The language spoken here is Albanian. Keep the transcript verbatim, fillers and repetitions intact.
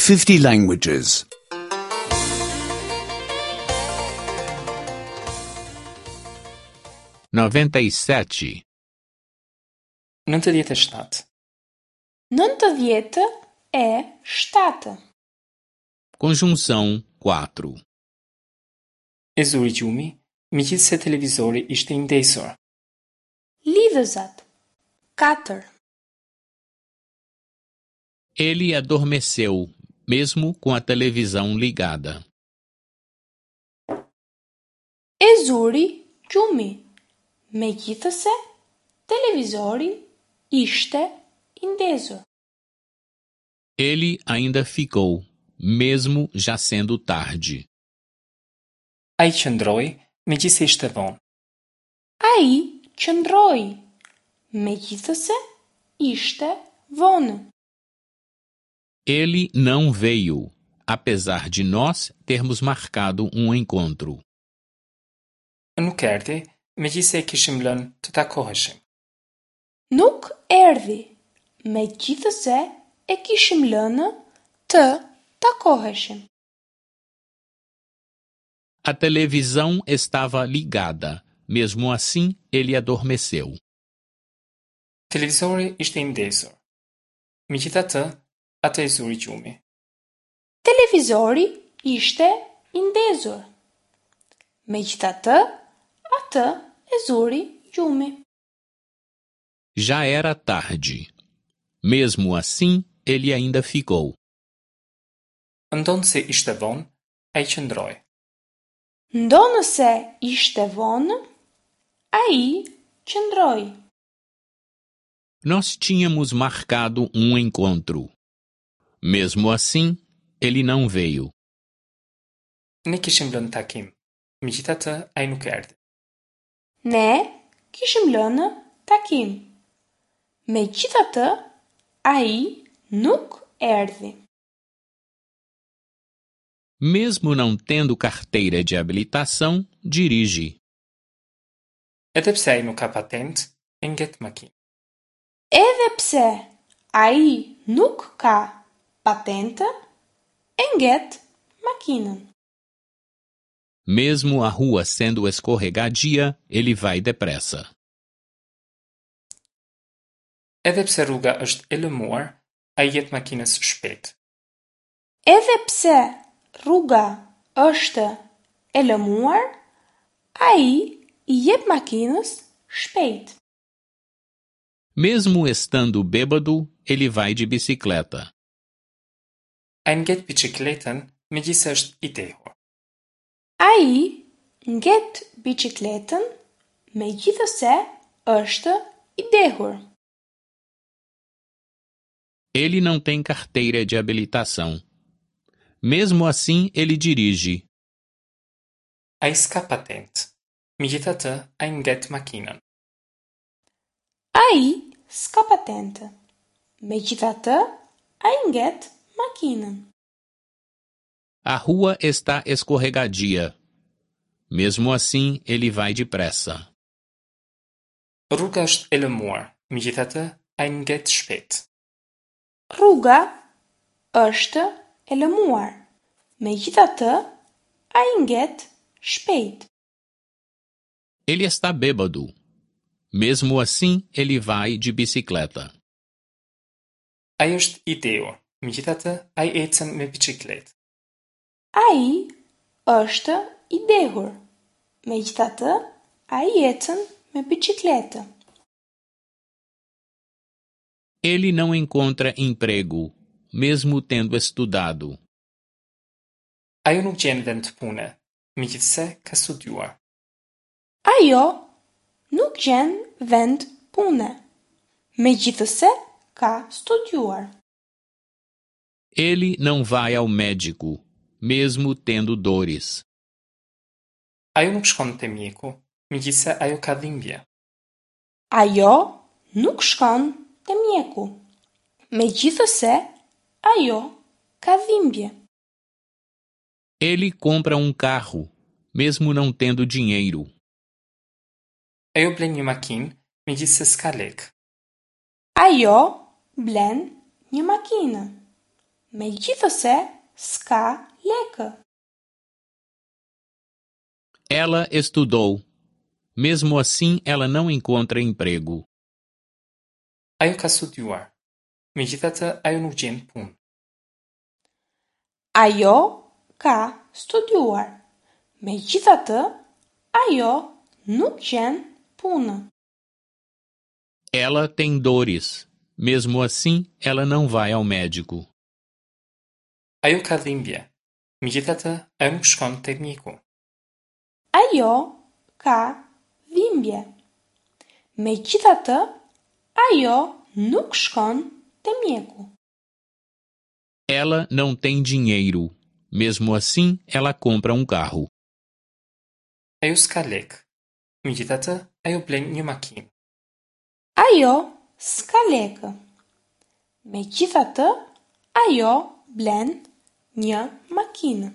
fifty languages. noventa e sete, Nëntëdhjetë e shtatë. Nëntëdhjetë e shtatë. Conjunção quatro. E zuri gjumi, megjithëse televizori ishte i ndezur. Lidhëzat. Katër. Ele adormeceu, mesmo com a televisão ligada. E zuri gjumi, megjithëse televizori ishte i ndezur. Ele ainda ficou, mesmo já sendo tarde. Ai qëndroi, megjithëse ishte vonë. Ai qëndroi, megjithëse ishte vonë. Ele não veio, apesar de nós termos marcado um encontro. Nuk erdhi, megjithëse e kishim lënë të takoheshim. Nuk erdhi, megjithëse e kishim lënë të takoheshim. A televisão estava ligada, mesmo assim ele adormeceu. Televizori ishte i ndezur. Megjithatë, atë e zuri gjumi. Televizori ishte i ndezur. Megjithatë, atë e zuri gjumi. Já era tarde. Mesmo assim, ele ainda ficou. Ndonëse ishte vonë, ai qëndroi. Ndonëse ishte vonë, ai qëndroi. Nós tínhamos marcado um encontro. Mesmo assim, ele não veio. Ne kishim lënë takim. Megjithatë, ai nuk erdhi. Ne kishim lënë takim. Megjithatë, ai nuk erdhi. Mesmo não tendo carteira de habilitação, dirige. Edhe pse ai nuk ka patentë, e nget makinën. Edhe pse ai nuk ka patentë, e nget makinën. Mesmo a rua sendo escorregadia, ele vai depressa. Edhe pse rruga është e lëmuar, ai i jep makinës shpejt. Edhe pse rruga është e lëmuar, ai i jep makinës shpejt. Mesmo estando bêbado, ele vai de bicicleta. Ai nget biçikletën, megjithëse është i dehur. Ai nget biçikletën, megjithëse është i dehur. Ele não tem carteira de habilitação. Mesmo assim, ele dirige. Ai s'ka patentë. Megjithatë, ai nget makinën. Ai s'ka patentë. Megjithatë, ai nget makinën. A rua está escorregadia. Mesmo assim, ele vai depressa. Rruga është e lëmuar, megjithatë, ai nget shpejt. Rruga është e lëmuar, megjithatë, ai nget shpejt. Ele está bêbado. Mesmo assim, ele vai de bicicleta. Ai është i dehur, megjithatë, ai ecën me biçikletë. Ai është i dehur, megjithatë, ai ecën me biçikletë. Ele não encontra emprego, mesmo tendo estudado. Ajo nuk gjen vend pune, megjithëse ka studiuar. Ajo nuk gjen vend pune, megjithëse ka studiuar. Ele não vai ao médico, mesmo tendo dores. Ajo nuk shkon te mjeku, megjithëse ajo ka dhimbje. Ajo nuk shkon te mjeku, megjithëse ajo ka dhimbje. Ele compra um carro, mesmo não tendo dinheiro. Ajo blen një makinë, megjithëse s'ka lekë. Ajo blen një makinë, Megjithëse s'ka lekë. Ela estudou. Mesmo assim, ela não encontra emprego. Ajo ka studiuar. Megjithatë, ajo nuk gjen punë. Ajo ka studiuar. Megjithatë, ajo nuk gjen punë. Ela tem dores. Mesmo assim, ela não vai ao médico. Ajo ka dhimbje. Megjithatë, ajo nuk shkon te mjeku. Ajo ka dhimbje. Megjithatë, ajo nuk shkon te mjeku. Ela não tem dinheiro. Mesmo assim, ela compra um carro. Ajo s'ka lekë. Megjithatë, ajo blen një makinë. Ajo s'ka lekë. Megjithatë, ajo blen një makinë.